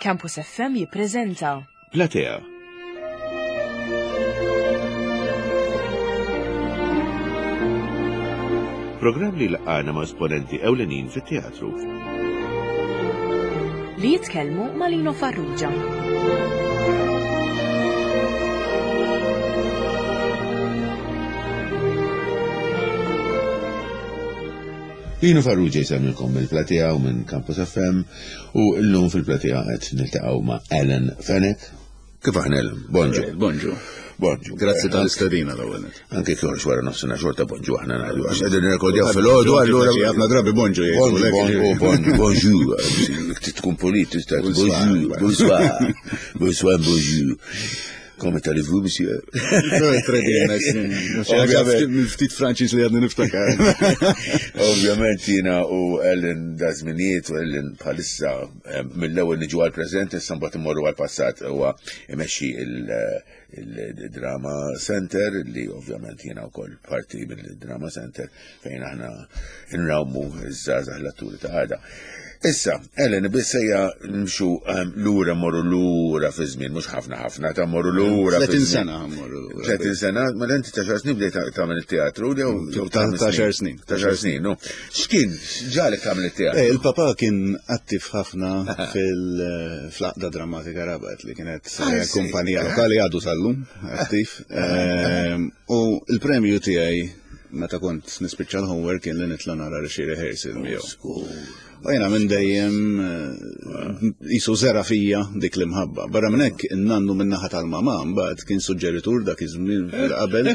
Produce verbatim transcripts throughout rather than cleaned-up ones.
Campus F M jippreżenta Platea. Programm li laqana ma' esponenti ewlenin fit-teatru. Li jitkellmu ma' Lino Farrugia. Lino Farrugia jsemmilkom mill-Platea u minn Campus F M u llum fil-Platea qed niltaqgħu ma' Alan Fenech. Kif aħna, Alan? Bonġu. Bonġu. Bonġu. Grazzi tal-istedina l-ewwel. Anke kjoħroġ wara nofsinhar xorta bonġu aħna ngħidu għax qegħdin nirrekordjaw filgħodu, allura ħafna drabi bonġu jgħidu. Bonġu, bonġu, bonġu. Tkun polit, tista' bonġu, bonsoir. Bonsoir, bonjour. Comment allez-vous, monsieur? Très bien, merci. Ftit Franċiż li għadni niftakar. Ovvjament jiena u Ellen da żminijiet u Ellen bħalissa mill-ewwel niġu għal-preżent, issa mbagħad immorru għal-passat. Huwa imexxi il-Drama Center, li ovvjament jiena wkoll parti mill-Drama Center, fejn aħna nrawmu iż-żgħażagħ l-atturi ta' għada. Issa, Ellen, biss ejja nimxu lura, morru lura fi żmien, mhux ħafna ħafna, ta' morru lura. tletin sena morru lura. tletin sena, ma inti ta' xar snin bdejt tagħmel it-teatru jew ta' xar snin. Ta' xar snin, no. X'kien ġalek tagħmel it-teatru? Eh, il-papa kien attiv ħafna fil-Għaqda Drammatika Rabat, li kienet ah, kumpanija lokali, għadu sal-lum attiv. Ehm, u il-premju tiegħi meta kont nispiċċa l-homework kien li nitla' nara xi rehearsal miegħu. U jena minn dejjem jisu żera fija dik l-imħabba. Barra minn hekk, in-nannu minn naħa tal-mama mbagħad kien suġġeritur dak iż-żmien qabel.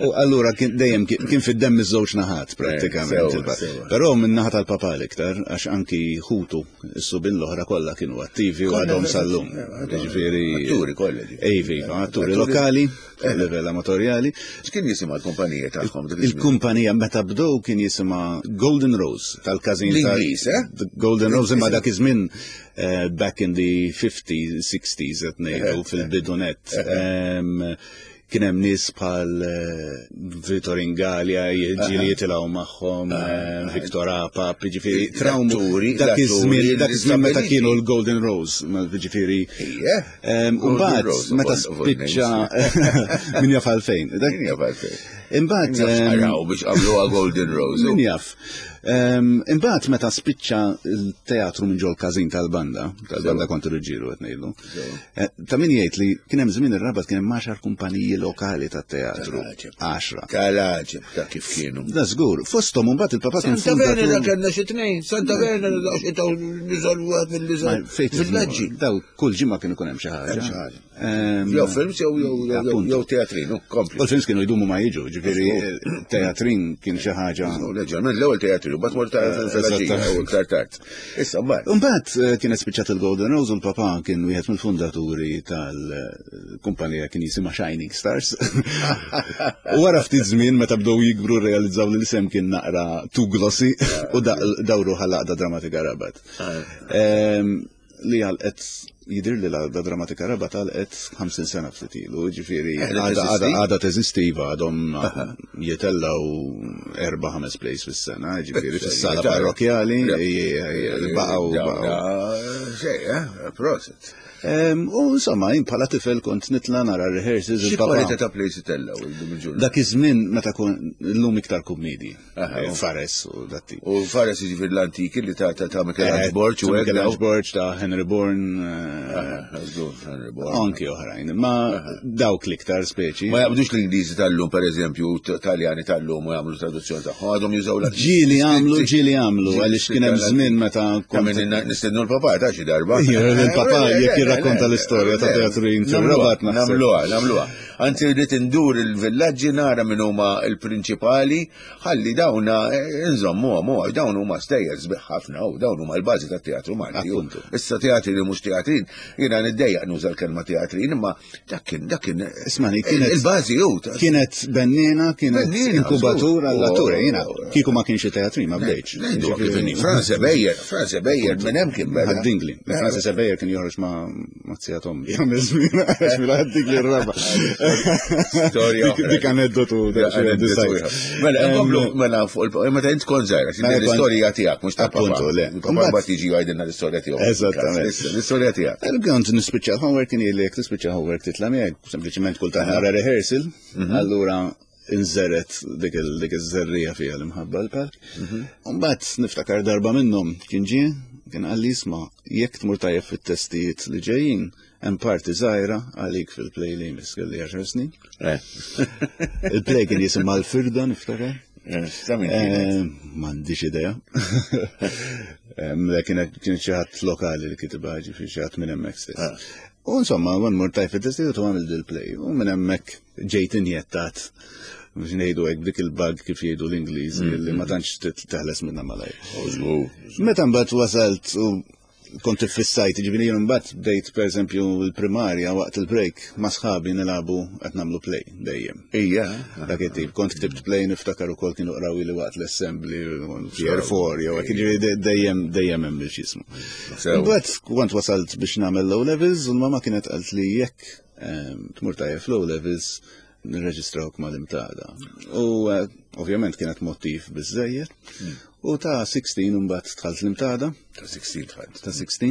U allura kien dejjem kien fid-demm iż-żewġ naħat prattikament. Però minn naħa tal-papa l-iktar, għax anki ħutu is-subien l-oħra kollha kienu attivi u għadhom sal-lum. Ġifieri atturi kollha. Ejvi, atturi lokali, fuq livell amatorjali. X'kien jisimha l-kumpanija tagħhom? Il-kumpanija meta bdew kien jisimha Golden Rose tal-każin. L-Ingliż, eh? Golden Rose, imma dak iż-żmien eh, back in the fifties, sixties qed ngħidu, fil-bidunet. Kien hemm nies bħal eh, Vittor Ingalia ġieli jitilgħu magħhom, eh, Victor Apap, jiġifieri trawmu dak iż-żmien dak iż-żmien meta kienu l-Golden Rose, jiġifieri. U mbagħad meta spiċċa, min jaf għalfejn. Min jaf għalfejn. Imbagħad Araw biex għamluha Golden Rose. Min jaf. Imbagħad meta spiċċa l-teatru minn ġol każin tal-banda, tal-banda kontu rġiru qed ngħidu. Eh, ta' min jgħid li kien hemm żmien ir-Rabat kien hemm għaxar kumpaniji lokali tat-teatru. Għaxra. Tal-għaġeb ta' kif kienu. Da żgur, fosthom mbagħad il-papa kien Santa Venera kellna xi tnejn, Santa Venera da xi taw niżol wieħed mill-liżol. Villaġġi. Daw kull ġimgħa kien ikun hemm xi ħaġa. Jew films jew jew teatrin, kompli. U l-films kienu jdumu ma jiġu, ġifieri teatrin kien xi ħaġa. Leġġerment l-ewwel teatrin, u mbagħad mort fil-villaġġi u iktar tard. Issa mbagħad. Mbagħad eh, kienet spiċċat il-Golden Rose u l-papa kien wieħed mill-fundaturi tal-kumpanija kien jisimha Shining Stars. U wara ftit żmien meta bdew jikbru realizzaw li l-isem kien naqra too glossy u dawru għall-Għaqda Drammatika Rabat. Li għalqet, jidir li l-Għaqda Drammatika Rabat għalqet ħamsin sena ftit ilu, ġifieri għada teżisti, għadhom jitellaw erba' ħames plays fis-sena, ġifieri fis-sala parrokjali, baqgħu baqgħu. Xej, eh, prosit. U insomma, jien bħala tifel kont nitla nara rehearsals. Xi kwalità ta' plays itellaw illum? Dak iż-żmien meta kun illum iktar kummedi. Fares u dat. U fares jiġifieri l-antiki li ta' ta' Michelangelo Borg u Michelangelo Borg, ta' Henry Bourne. Henry Bourne. Anki oħrajn, ma dawk l-iktar speċi. Ma jaqbdux l-Ingliżi tal-lum, pereżempju, Taljani tal-lum u jagħmlu traduzzjoni tagħhom, għadhom jużaw l Ġieli għamlu, ġieli għamlu, għaliex kien hemm żmien meta Nistennu l-papà ta' xi darba. Il-papà jekk jirrakkonta l-istorja ta' teatrin fir-Rabat. Nagħmluha, nagħmluha. Anzi rrid indur il-villaġġi nara min huma l-prinċipali ħalli dawna nżommuhom, għax dawn huma stejjer sbieħ ħafna u dawn huma l-bażi tat-teatru Malti. Issa teatri li mhux teatrin, jiena niddejjaq nuża l-kelma teatrin, imma dak kien dak kien Ismani, kienet il-bażi hu. Kienet bennina, kienet inkubatur għall-atturi, jiena kieku ma kienx teatrin ma bdejtx. Kif inhi Franz Ebejer, Franz Ebejer minn hemm kien beda. Ħad-Dingli. Franz Ebejer kien joħroġ ma' zija t'ommi. Jagħmel żmien għax minn Ħad-Dingli r-raba. Storja. Dik aneddotu. Mela, nkomplu, mela, fuq il meta int kont żgħira, l-istorja tiegħek, mhux ta' Appuntu, le. Papà mbagħad jiġi jgħidilna l-istorja tiegħu. Eżattament. L-istorja tiegħek. Kont nispiċċa homework kien jgħidlek tispiċċa homework titla' miegħek, sempliċement kultant nara rehearsal, allura inżeret dik iż-żerrija fija l-imħabba l-palk. Mbagħad niftakar darba minnhom kien ġie, kien qalli isma' jekk tmur tajjeb fit-testijiet li ġejjin, hemm parti żgħira għalik fil-play li jmiss kelli għaxar snin. Il-play kien jisimha l-Firda niftakar. M'għandix idea. Kienet xi ħadd lokali li kitibha, ġifieri xi ħadd minn hemmhekk stess. U insomma, għan mur tajf fit-testijiet u għamil dil-play. U minn hemmhekk ġejt injettat biex ngħidu hekk dik il-bug kif jgħidu l-Ingliżi li ma tantx teħles minnha malajr. Meta mbagħad wasalt u kont iffissajt, ġifieri jien mbagħad bdejt pereżempju l-primarja waqt il-break ma' sħabi nilagħbu qed nagħmlu play dejjem. Ija. Dak it-tip. Kont ktibt play niftakar ukoll kienu qrawi li waqt l-assembly year four jew hekk, ġifieri dejjem dejjem hemm x'ismu. Mbagħad kont wasalt biex nagħmel low levels u l-mama kienet qalt li jekk tmur tajjeb low levels nirreġistrawk mal-Imtada. U ovvjament kienet motiv biżżejjed. U ta' sittax mbagħad dħalt l-Imtada. Ta' sittax dħalt. Ta' sittax.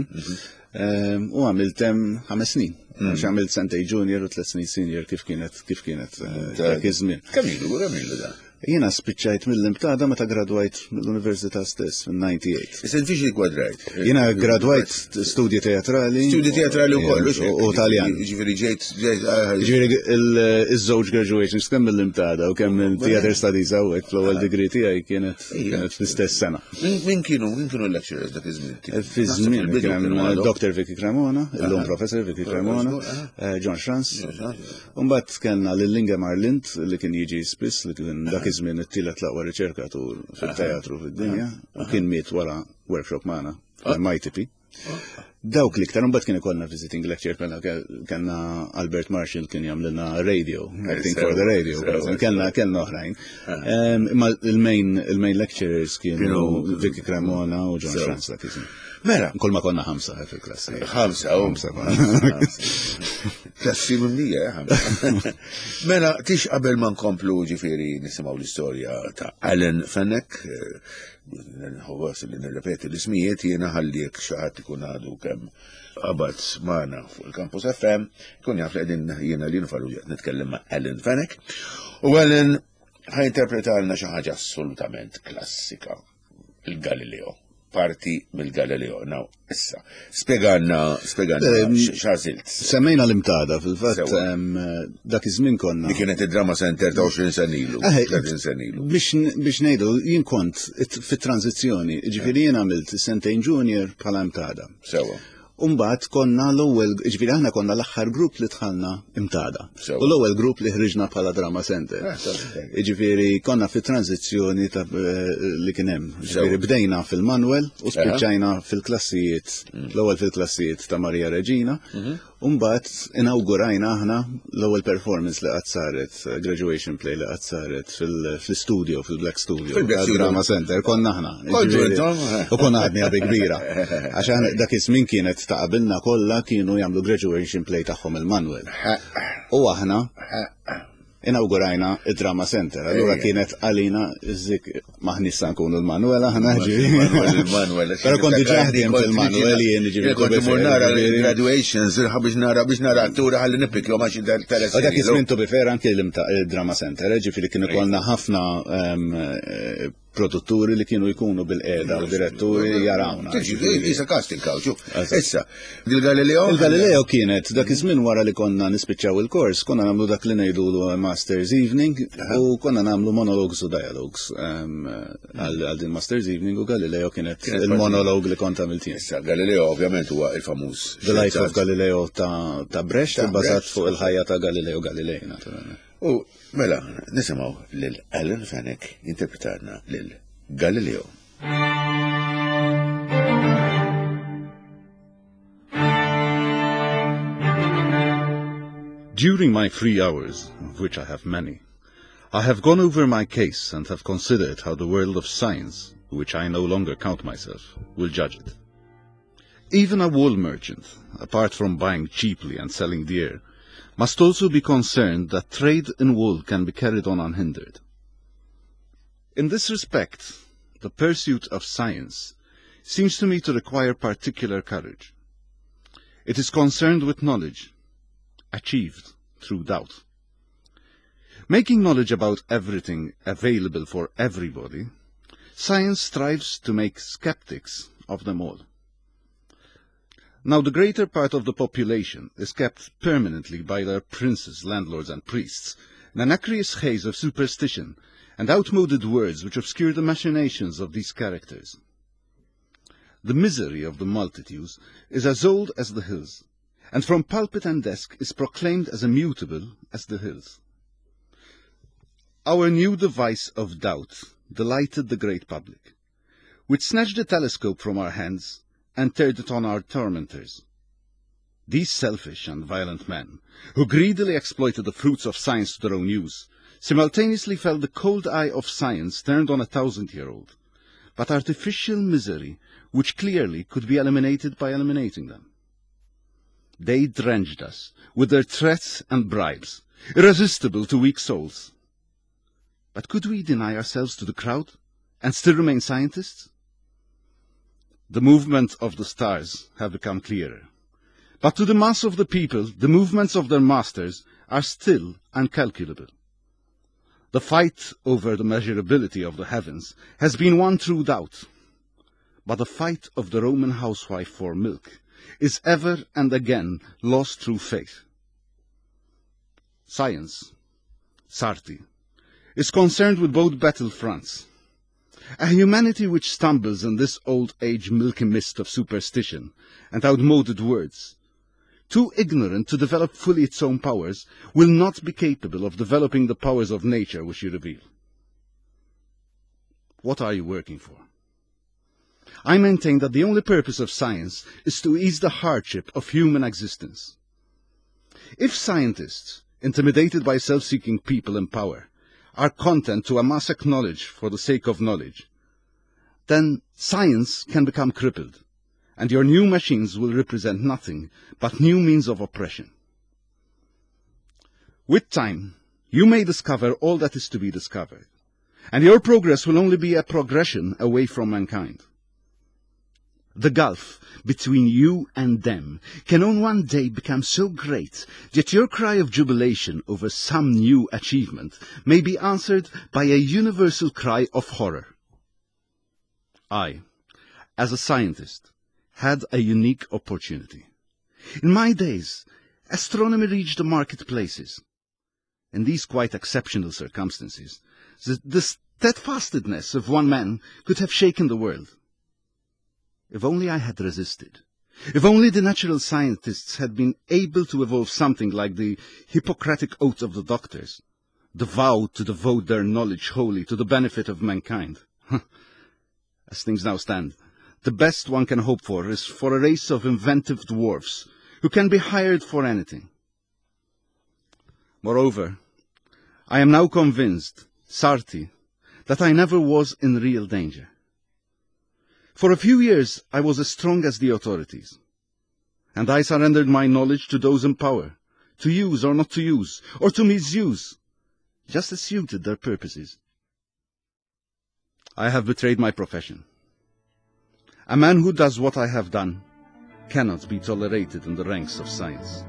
U għamilt hemm ħames snin. Għax għamilt sentej junior u tliet snin senior kif kienet kif kienet dak iż-żmien. Kemm ilu, kemm ilu da? Jiena spiċċajt mill-Imtada meta gradwajt mill-Università stess fin-ninety-eight. Issa inti xi gradwajt? Jiena gradwajt studji teatrali. Studji teatrali wkoll, u Taljan. Ġifieri ġejt, ġejt, Ġifieri iż-żewġ graduations kemm mill-Imtada u kemm minn Theater Studies hawnhekk fl-ewwel degree tiegħi kienet kienet fl-istess sena. Min kienu, min kienu lecturers dak iż-żmien? Fi żmien kien hemm Doctor Vicky Cremona, illum Professor Vicky Cremona, John Schranz. U mbagħad kellna lil Ingemar Lind li kien jiġi spiss li kien dak iż-żmien it-tielet l-aqwa riċerkatur fil-teatru fid-dinja u kien miet wara workshop magħna fl-M I T P. Dawk l-iktar, mbagħad kien ikollna visiting lecture, kellna Albert Marshall kien jagħmlilna radio, acting for the radio, kellna kellna oħrajn. Imma il-main il-main lecturers kienu Vicky Cremona u John Schranz dak iż-żmien. Mela. Kull ma konna ħamsa fil-klassi. Ħamsa, u. Ħamsa konna. Klassi mimlija, ħamsa. Mela, tix qabel ma nkomplu ġifieri nisimgħu l-istorja ta' Alan Fenech, nħoss li nirrepeti l-ismijiet, jiena ħalliek xi ħadd ikun għadu kemm qabad magħna fuq il-Campus F M, ikun jaf li qegħdin jiena li nfaru qed nitkellem ma' Alan Fenech. U Alan ħajinterpretalna xi ħaġa assolutament klassika, il-Galileo. Parti mill-Galileo. Now, issa, spjegalna, spjegalna x'għażilt. Semmejna l-Imtada, fil-fatt, dak iż-żmien konna. Li kienet id-Drama Center ta' għoxrin sena ilu, tletin sena ilu. Biex ngħidu, jien kont fit-tranzizzjoni, ġifieri jien għamilt sentejn junior bħala Imtada. Sewa. Umbagħad konna l-ewwel, ġifieri aħna konna l-aħħar grupp li dħalna Imtada. U l-ewwel grupp li ħriġna bħala Drama Center. Ġifieri konna fi tranzizzjoni ta' li kien hemm. Ġifieri bdejna fil-Manuel u spiċċajna fil-klassijiet, l-ewwel fil-klassijiet ta' Maria Regina. Umbagħad inawgurajna aħna l-ewwel performance li qatt saret, graduation play li qatt saret fil-studio, fil-Black Studio, fil-Drama Center, konna aħna. U konna għadni għabi kbira. Għax aħna dak iż-żmien kienet ta' qabilna kollha kienu jagħmlu graduation play tagħhom il-Manuel. U aħna inawgurajna id-Drama Center. Allura kienet għalina zik maħnis sa nkunu l-Manuel aħna ġifieri. Manuel. Però kont diġà ħdiem fil-Manuel jien ġifieri. Kont imur nara l-graduations, biex nara biex nara attura ħalli nippikjhom għax interess. Dak iż-żmien to be fair anke l-Drama Center, ġifieri kien ikollna ħafna produtturi li kienu jkunu bil-qeda u diretturi jarawna. Isa casting couch. Issa, il-Galileo? Il-Galileo kienet dak iż-żmien wara li konna nispiċċaw il-kors, konna nagħmlu dak li ngħidulu Masters Evening u konna nagħmlu monologues u dialogues għal din Masters Evening u Galileo kienet il-monolog li kont għamilt jien. Issa, Galileo ovvjament huwa il-famuż. The Life of Galileo ta' Brecht, bbażat fuq il-ħajja ta' Galileo Galilei, naturalment. U mela, nisimgħu lil Alan Fenech jinterpretarna lil Galileo. During my free hours, of which I have many, I have gone over my case and have considered how the world of science, which I no longer count myself, will judge it. Even a wool merchant, apart from buying cheaply and selling dear, must also be concerned that trade in wool can be carried on unhindered. In this respect, the pursuit of science seems to me to require particular courage. It is concerned with knowledge, achieved through doubt. Making knowledge about everything available for everybody, science strives to make skeptics of them all. Now the greater part of the population is kept permanently by their princes, landlords and priests in an aqueous haze of superstition and outmoded words which obscure the machinations of these characters. The misery of the multitudes is as old as the hills, and from pulpit and desk is proclaimed as immutable as the hills. Our new device of doubt delighted the great public, which snatched the telescope from our hands and turned it on our tormentors. These selfish and violent men, who greedily exploited the fruits of science to their own use, simultaneously felt the cold eye of science turned on a thousand-year-old, but artificial misery which clearly could be eliminated by eliminating them. They drenched us with their threats and bribes, irresistible to weak souls. But could we deny ourselves to the crowd and still remain scientists? The movement of the stars have become clearer. But to the mass of the people, the movements of their masters are still incalculable. The fight over the measurability of the heavens has been won through doubt. But the fight of the Roman housewife for milk is ever and again lost through faith. Science, Sarti, is concerned with both battle fronts. A humanity which stumbles in this old age milky mist of superstition and outmoded words, too ignorant to develop fully its own powers, will not be capable of developing the powers of nature which you reveal. What are you working for? I maintain that the only purpose of science is to ease the hardship of human existence. If scientists, intimidated by self-seeking people in power, are content to amass knowledge for the sake of knowledge, then science can become crippled, and your new machines will represent nothing but new means of oppression. With time, you may discover all that is to be discovered, and your progress will only be a progression away from mankind. The gulf between you and them can on one day become so great that your cry of jubilation over some new achievement may be answered by a universal cry of horror. I, as a scientist, had a unique opportunity. In my days, astronomy reached the marketplaces. In these quite exceptional circumstances, the, the steadfastness of one man could have shaken the world. If only I had resisted. If only the natural scientists had been able to evolve something like the Hippocratic oath of the doctors, the vow to devote their knowledge wholly to the benefit of mankind. As things now stand, the best one can hope for is for a race of inventive dwarfs who can be hired for anything. Moreover, I am now convinced, Sarti, that I never was in real danger. For a few years I was as strong as the authorities, and I surrendered my knowledge to those in power, to use or not to use, or to misuse, just as suited their purposes. I have betrayed my profession. A man who does what I have done cannot be tolerated in the ranks of science.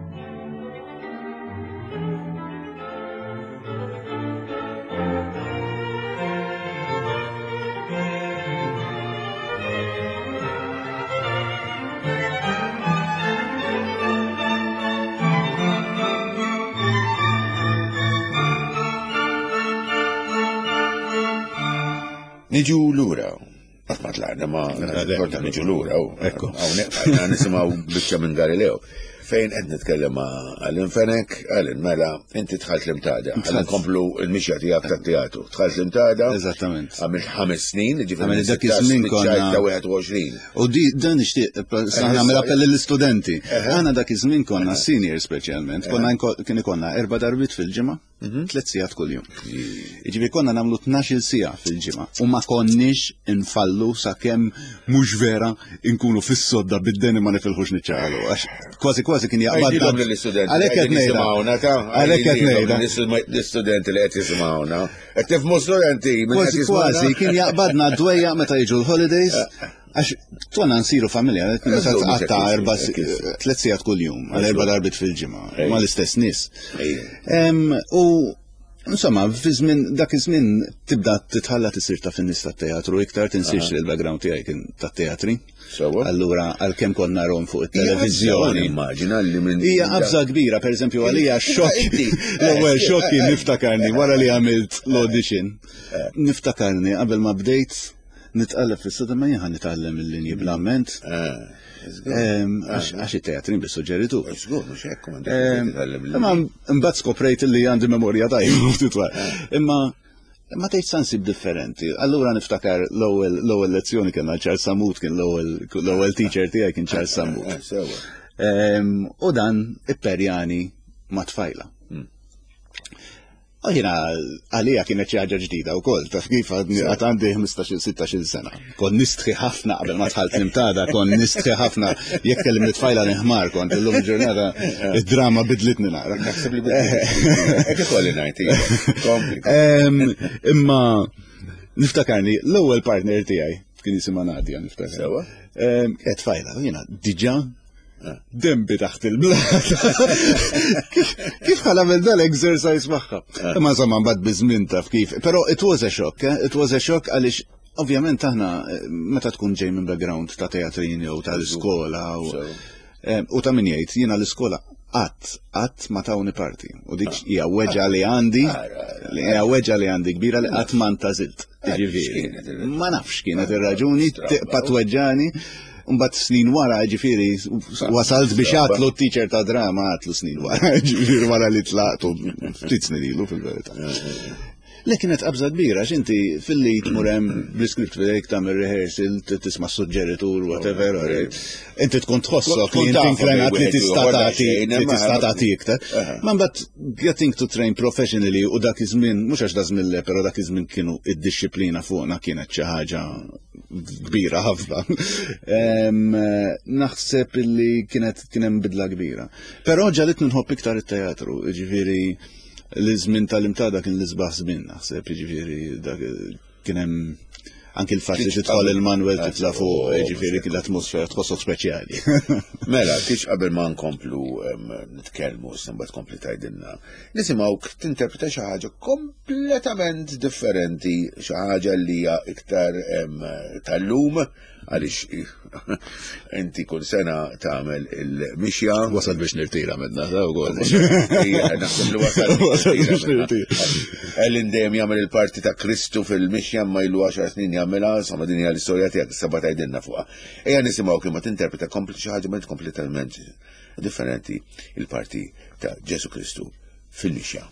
Niġu lura. Qatt ma tlaqna ma xorta niġu lura. Ekku. Hawnhekk għadna nisimgħu biċċa minn Galileo. Fejn qed nitkellem ma' Alan Fenech, Alan mela, inti dħalt l-Imtada. Ħalli nkomplu l-mixja tiegħek tat-teatru. Dħalt l-Imtada. Eżattament. Għamilt ħames snin, ġifieri Għamilt dak iż-żmien konna- ta' wieħed u għoxrin. U di dan nixtieq sa nagħmel appell lill-istudenti. Aħna dak iż-żmien konna senior speċjalment, konna nko- kien ikollna erba' darbiet fil-ġimgħa. Tliet sigħat kuljum. Jiġifieri konna nagħmlu tnax-il siegħa fil-ġimgħa u ma konniex infallu sakemm mhux vera nkunu fis-sodda bid-deni ma nifilħux niċċaqalu. Għax kważi kważi kien jaqbad. Għajdilhom lill-istudenti. Għalhekk qed ngħidha. Għalhekk qed ngħidha. L-istudenti li qed jisimgħuna. Qed tifhmu studenti minn qed Kważi jisimgħuna? kważi kien jaqbadna dwejja meta jiġu l-holidays. Għax konna nsiru familja, meta Eżatt, mhux tqatta' hekk erba' jisir, hekk jisir. tliet sigħat kuljum, għal erba' darbiet fil-ġimgħa, Ejja. mal-istess nies. Ejja. Em, U insomma, fi żmien dak iż-żmien tibda titħalla tisir ta' fin-nies tat-teatru iktar, tinsiex li l-background tiegħi kien tat-teatri. Sewwa. Allura għalkemm konna narahom fuq Hija qabża, it-televiżjoni. Immaġina li minn Hija qabża kbira, per eżempju, għalija xokk. Inti, L-ewwel eh, xokk kien eh, niftakarni wara li għamilt l-audition. Niftakarni qabel ma bdejt nitqalleb fis-sodda ma jien nitgħallem il-linji bl-amment. Eh, żgur. Em, Għax għax it-teatrin bis-suġġeritu. Żgur, mhux hekk m'għandek Em, titgħallem Imma mbagħad skoprejt li għandi memorja tajba ftit wara. Imma ma tgħid sansib differenti. Allura niftakar l-ewwel l-ewwel lezzjoni kellna Charles Sammut, kien l-ewwel l-ewwel teacher tiegħi kien Charles Sammut. Eh, Sewwa. Em, U dan ipperjani ma' tfajla. U jiena għalija kienet xi ħaġa ġdida wkoll, taf kif għadni għad għandi ħmistax-il sittax-il sena. Kont nistħi ħafna qabel ma dħalt l-Imtada, kont nistħi ħafna jekk kellimni tfajla nħmar kont illum il-ġurnata id-drama bidlitni naqra. Naħseb li hekk ikolli ngħid, iva. Kompli. Em, Imma niftakarni l-ewwel partner tiegħi kien jisimha Nadia niftakar. Sewwa. Em, Kienet tfajla, u jiena diġà dembi taħt il-blata. Kif kif ħa nagħmel dal-exercise magħha? Imma insomma mbagħad biż-żmien taf kif. Però it was a shock, eh? It was a shock għaliex ovvjament aħna eh, meta tkun ġej minn background ta' teatrini jew tal-iskola u Sewa. eh, u ta' min jgħid jiena l-iskola qatt qatt ma tawni parti. U dik hija weġgħa li għandi, li hija weġgħa li għandi kbira li qatt ma ntażilt. Jiġifieri, x'kienet il- ma nafx kienet ir-raġuni, tibqa' tweġġani. Mbagħad snin wara, ġifieri, wasalt biex għatlu t-teacher ta' drama għatlu snin wara, ġifieri wara li tlaqtu ftit snin ilu fil-verità. Le kienet qabża kbira, x'inti filli tmur hemm bl-iskript f'idejk tagħmel rehearsal, t- tisma' suġġeritur, whatever, alright. Inti tkun tħossok Tkun li inti taf inklinat li wieħed tista' ieħor tagħti daqsxejn, li imma- tista' tagħti iktar. Ma mbagħad getting to train professionally u dak iż-żmien, mhux għax da żmien le, però dak iż-żmien kienu id-dixxiplina fuqna kienet xi ħaġa kbira ħafna. Em, Naħseb illi kienet kien hemm bidla kbira. Però ġagħlitni nħobb iktar it-teatru, jiġifieri l-żmien tal-Imtada kien l-isbaħ żmien naħseb, jiġifieri dak kien hemm anki l-fatt li tidħol il-Manuel titla' fuq, jiġifieri kien l-atmosfera tħossok speċjali. Mela, tix qabel ma nkomplu em, nitkellmu, mbagħad tkompli tgħidilna. Nisimgħuk tinterpreta xi ħaġa kompletament differenti, xi ħaġa li hija iktar em, tal-lum, għaliex inti kull sena tagħmel il-mixja. Wasal biex nirtira minna, ta' ukoll. Ija, naħseb li wasal Wasal biex nirtira. Ellen dejjem jagħmel il-parti ta' Kristu fil-mixja ma ilu għaxar snin jagħmilha, insomma din hija l-istorja tiegħek issa tgħidilna fuqha. Ejja nisimgħu kif ma tinterpreta kompli xi ħaġa ma kompletament differenti il-parti ta' Ġesu Kristu fil-mixja.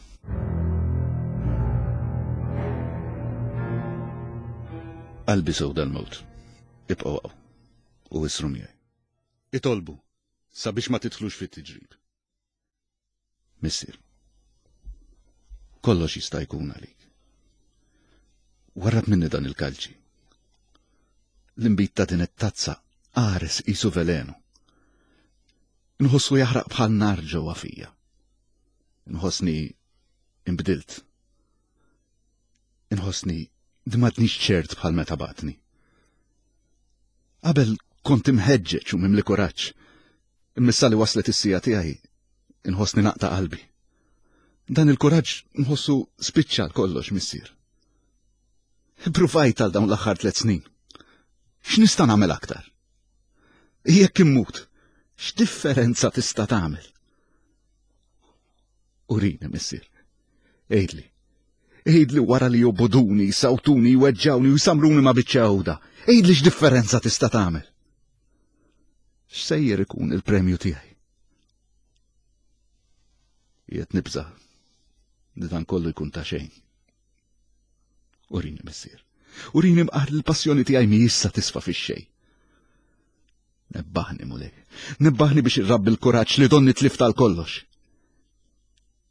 Qalbi sewda l-mewt. Ibqgħu hawn u isru miegħi. Itolbu sabiex ma tidħlux fit-tiġrib. Missier, kollox jista' jkun għalik. Warrab minni dan il-kalċi. L-imbit ta' din it-tazza qares qisu velenu. Nħossu jaħraq bħal nar ġewwa fija. Nħossni imbdilt. Inħossni m'għadnix ċert bħal meta bgħattni. Qabel kont imħeġġeġ u mimli kuraġġ. Imma issa li waslet is-siegħa tiegħi, inħossni naqta' qalbi. Dan il-kuraġġ nħossu spiċċa kollox, missier. Pruvajt għal dawn l-aħħar tliet snin. X'nista' nagħmel aktar? Jekk immut, x'differenza tista' tagħmel? Urini, missier. Għidli. Għidli wara li jobogħduni, jsawtuni, jweġġgħuni u jsamruni ma' biċċa għuda. Għidli x'differenza tista' tagħmel. X'sejjer ikun il-premju tiegħi? Qiegħed nibża' li dan kollu jkun ta' xejn. Urini, missier. Urini mqar l-passjoni tiegħi mhijiex sa tisfa fix-xejn. Nebbaħni, Mulej. Nebbaħni biex irrabbi l-kuraġġ li donni tlift għal kollox.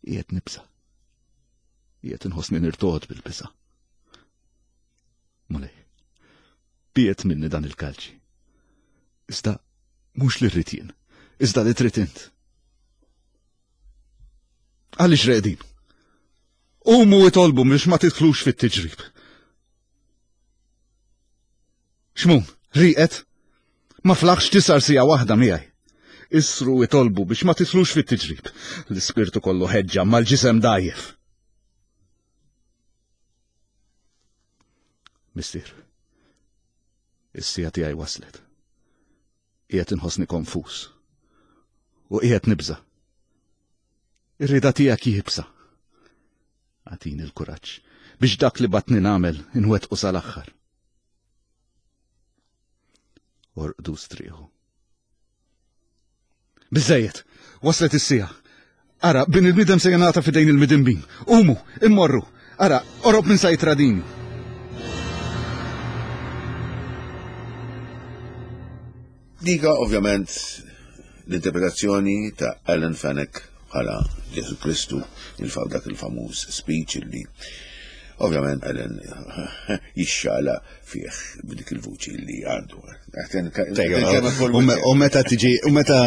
Qiegħed nibża'. Qiegħed inħossni nirtogħod bil-biża'. Mulej, biegħed minni dan il-kalċi. Iżda mhux li rrid jien, iżda li trid int. Għaliex reqdin? Qumu itolbu biex ma tidħlux fit-tiġrib. Xmun, rieqed? Ma flaħx tisar sija waħda miegħi. Isru itolbu biex ma tidħlux fit-tiġrib. L-ispirtu kollu ħeġġa mal-ġisem dgħajjef. Missier, is-sija tiegħi waslet. Qiegħed inħossni konfuż. U qiegħed nibża'. Ir-rieda tiegħek jibsa. Agħtini l-kuraġġ biex dak li batni nagħmel inwettqu sal-aħħar. Orqdu strieħu. Biżejjed, waslet is-sija. Ara, bin il-bniedem se jingħata f'idejn il-midinbin. Qumu, immorru. Ara, qorob minn sa jitradini. Dika ovvjament l-interpretazzjoni ta' Alan Fenech bħala Ġesu Kristu, il-faw dak il-famuż speech li ovvjament Alan jixxala fih b'dik il-vuċi li għandu. U meta tiġi, u meta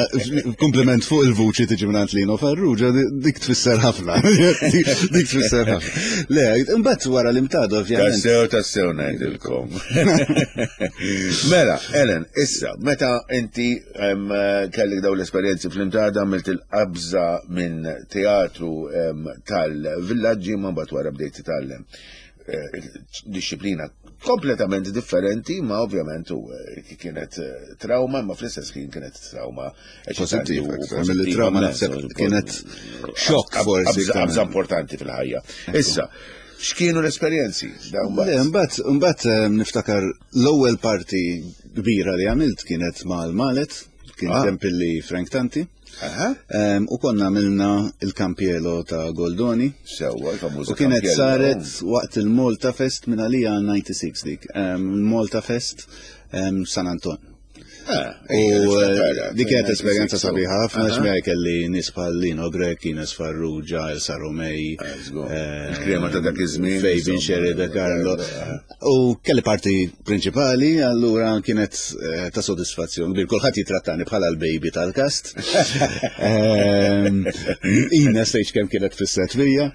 kompliment fuq il-vuċi tiġi minn Lino Farrugia, dik tfisser ħafna. Dik tfisser ħafna. Le, imbagħad wara l-imtadu ovvjament. Tassew, tassew ngħidilkom. Mela, Ellen, issa, meta inti kellek daw l-esperjenzi fl-imtada għamilt il-qabża minn teatru tal-villaġġi ma mbagħad wara bdejt titgħallem disciplina kompletament differenti, ma ovvjament u kienet trauma, ma fl-istess ħin kienet trauma pozittiva. Mill-trauma naħseb kienet xokk forsi. Qabża importanti fil-ħajja. Issa, x'kienu l-esperjenzi? Mbagħad mbagħad niftakar l-ewwel parti kbira li għamilt kienet mal-Malet, kien tempilli Frank Tanti. U konna għamilna il-Campiello ta' Goldoni. Sewwa, il-famuża. U kienet saret waqt il-Malta Fest minn għalija disgħa u disgħin dik. Malta Fest San Anton. U dik kienet esperjenza sabiħa ħafna għax miegħi kelli nies bħal Lino Grech, Ines Farrugia, Elsa Romei, il-krema ta' dak iż-żmien, Fabian Sherry De Carlo. U kelli parti prinċipali, allura kienet ta' sodisfazzjon kbir. Kulħadd jitrattani bħala l-baby tal-kast. Ines tgħidx kemm kienet fisset fija.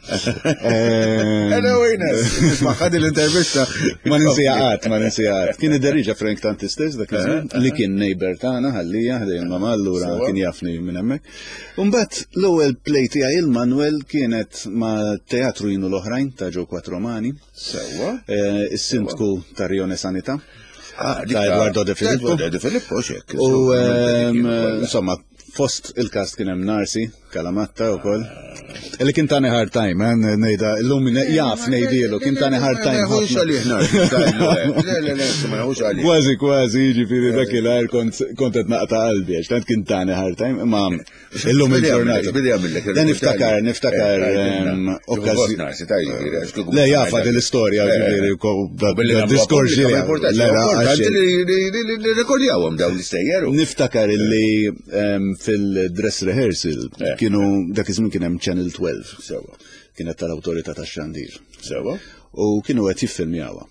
Hello Ines, nisma' ħadi l-intervista. Ma ninsija qatt, ma ninsija qatt. Kien idderriġa Frank Tanti stess dak iż-żmien li kien neighbor tagħna ħallija ħdejn mama, allura kien jafni minn hemmhekk. Imbagħad l-ewwel play tiegħi il-Manuel kienet ma' Teatru Jinu l-Oħrajn ta' Joe Quattromani. Sewwa. Is-sindku ta' Rione Sanità. Ta' Eduardo De Filippo. Eduardo De Filippo xek. U insomma, fost il-kast kien hemm Narsi, Kalamatta wkoll. Illi kien tani hard time, eh, ngħidha illum jaf ngħidilu, kien tani hard time. Ma jeħux għalih Narsi. Le, le, le, ma jeħux għalih. Kważi, kważi, jiġifieri dakinhar kont qed naqta' qalbi għax tant kien tani hard time, imma illum il-ġurnata. Bidi għamillek. Le niftakar, niftakar okkażjoni. Le jafa din l-istorja, ġifieri, diskors Importanti li rekordjawhom dawn l-istejjer. Niftakar illi fil-dress rehearsal kienu dak iż-żmien kien hemm Channel twelve. Sewa. Kienet tal-awtorità tax-xandir. Sewa. U kienu qed jiffilmjawha.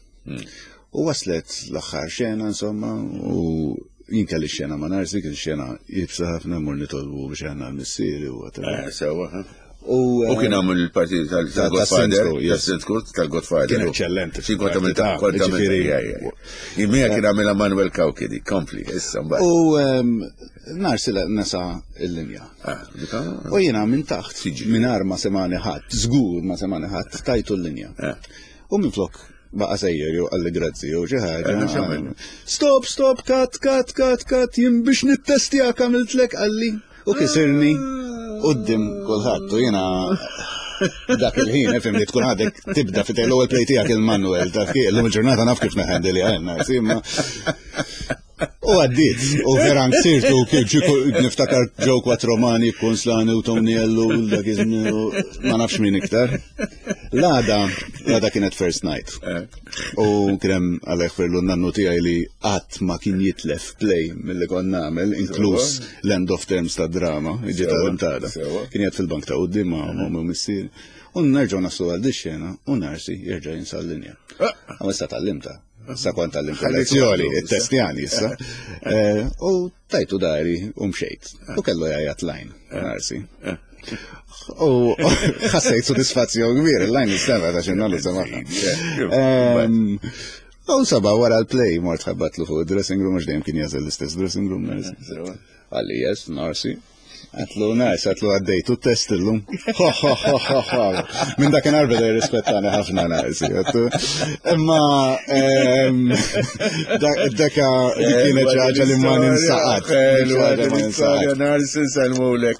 U waslet l-aħħar xena insomma, u jien kelli xena ma' Narsi, kien xena jibsa ħafna mur nitolbu biex għandna l-missieri u whatever. Sewa. U kien għamil il-partit tal-Godfather, tas-Sindku tal-Godfather. Kien eċċellenti. Xi kont għamil kont għamil. Imija kien għamilha Manuel Cauchi dik, kompli, issa mbagħad. U Narsi nesa l-linja. U jiena minn taħt, mingħajr ma semani ħadd, żgur ma semani ħadd, tajtu l-linja. U minflok baqa' sejjer jew qalli grazzi jew xi ħaġa. Stop, stop, cut, cut, cut, cut, jien biex nittestjak għamiltlek qalli. U kisirni qudiem kulħadd u jiena dak il-ħin, ifhem li tkun għadek tibda fit l-ewwel play tiegħek il-Manuel, taf kif illum il-ġurnata naf kif neħendili għandna, imma u għaddiet, u vera nsirtu kif niftakar Joe Quattromani, Konslani u Tony Ellu, dak iż-żmien, ma nafx min iktar. L-għada, l-għada kienet first night. U kien hemm għalhekk ferlu n-nannu tiegħi li qatt ma kien jitlef play milli kont nagħmel, inkluż l-end of terms ta' drama, ġiet tal-imtada. Kien jgħid fil-bank ta' quddiem ma' ommi u missieri. U nerġgħu naslu għal xena u Narsi jerġa' jinsa l-linja. Għam issa tgħallimtha. Issa kont tgħallimt lezzjoni, it-testjani issa. Eh, u tajtu dari u mxejt. U kellu jgħajjat line, Narsi. U ħassejt sodisfazzjon kbir, il-line nistema ta' xinna semaħna. U saba wara l-play mort ħabbatlu fuq dressing room, għax dejjem kien jażel l-istess dressing room. Qalli yes, Narsi. Għedtlu, nice, għedtlu għaddejtu test illum. Ho, ho, ho, ho, ho. Minn dakinhar beda jirrispettani ħafna Narsi. Imma daka kienet ħaġa li ma ninsa qatt. L-istorja Narsi nsellmulek.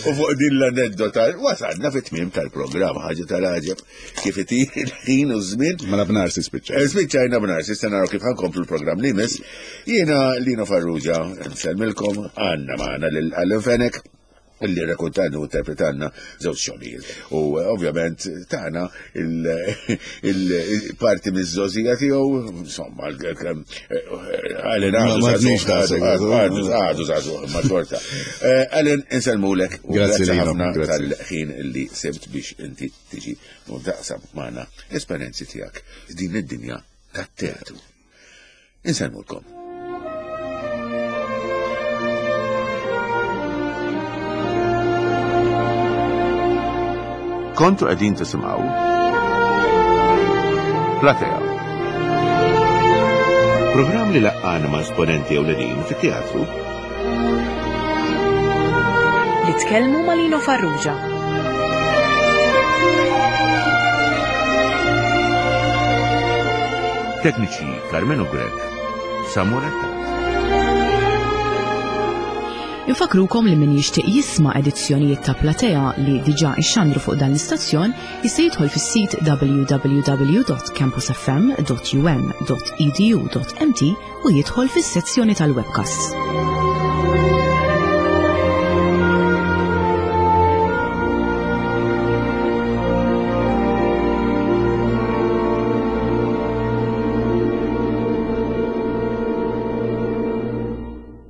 U fuq din l-aneddota, wasalna fit-tmiem tal-programm, ħaġa tal-għaġeb, kif itir il-ħin u żmien. Mela b'Narsi spiċċa. Spiċċajna b'Narsi, issa naraw kif ħa nkomplu l-programm li jmiss. Jiena Lino Farrugia, nsellmilkom, għandna magħna lil Alan Fenech, illi rrakkontanna u interpretanna żewġ xogħlijiet. U ovvjament tagħna il-parti miż-żgħożija tiegħu, insomma, Alan għadu għadu żagħżugħ ma xorta. Alan, insellmulek u Grazzi ħafna tal-ħin illi sibt biex inti tiġi u taqsam magħna l-esperjenzi tiegħek din id-dinja tat-teatru. Insellmulkom. Kontu qegħdin tisimgħu Platea. Programm li laqqana ma' esponenti ewlenin fit-teatru. Li tkellmu ma' Lino Farrugia. Tekniċi Carmelo Grech, Samuel Attard. Infakrukom li min jixtieq jisma' edizzjonijiet ta' Platea li diġà ixxandru fuq dan l-istazzjon jista' jidħol fis-sit w w w dot campus f m dot u m dot e d u dot m t u jidħol fis-sezzjoni tal-webcasts.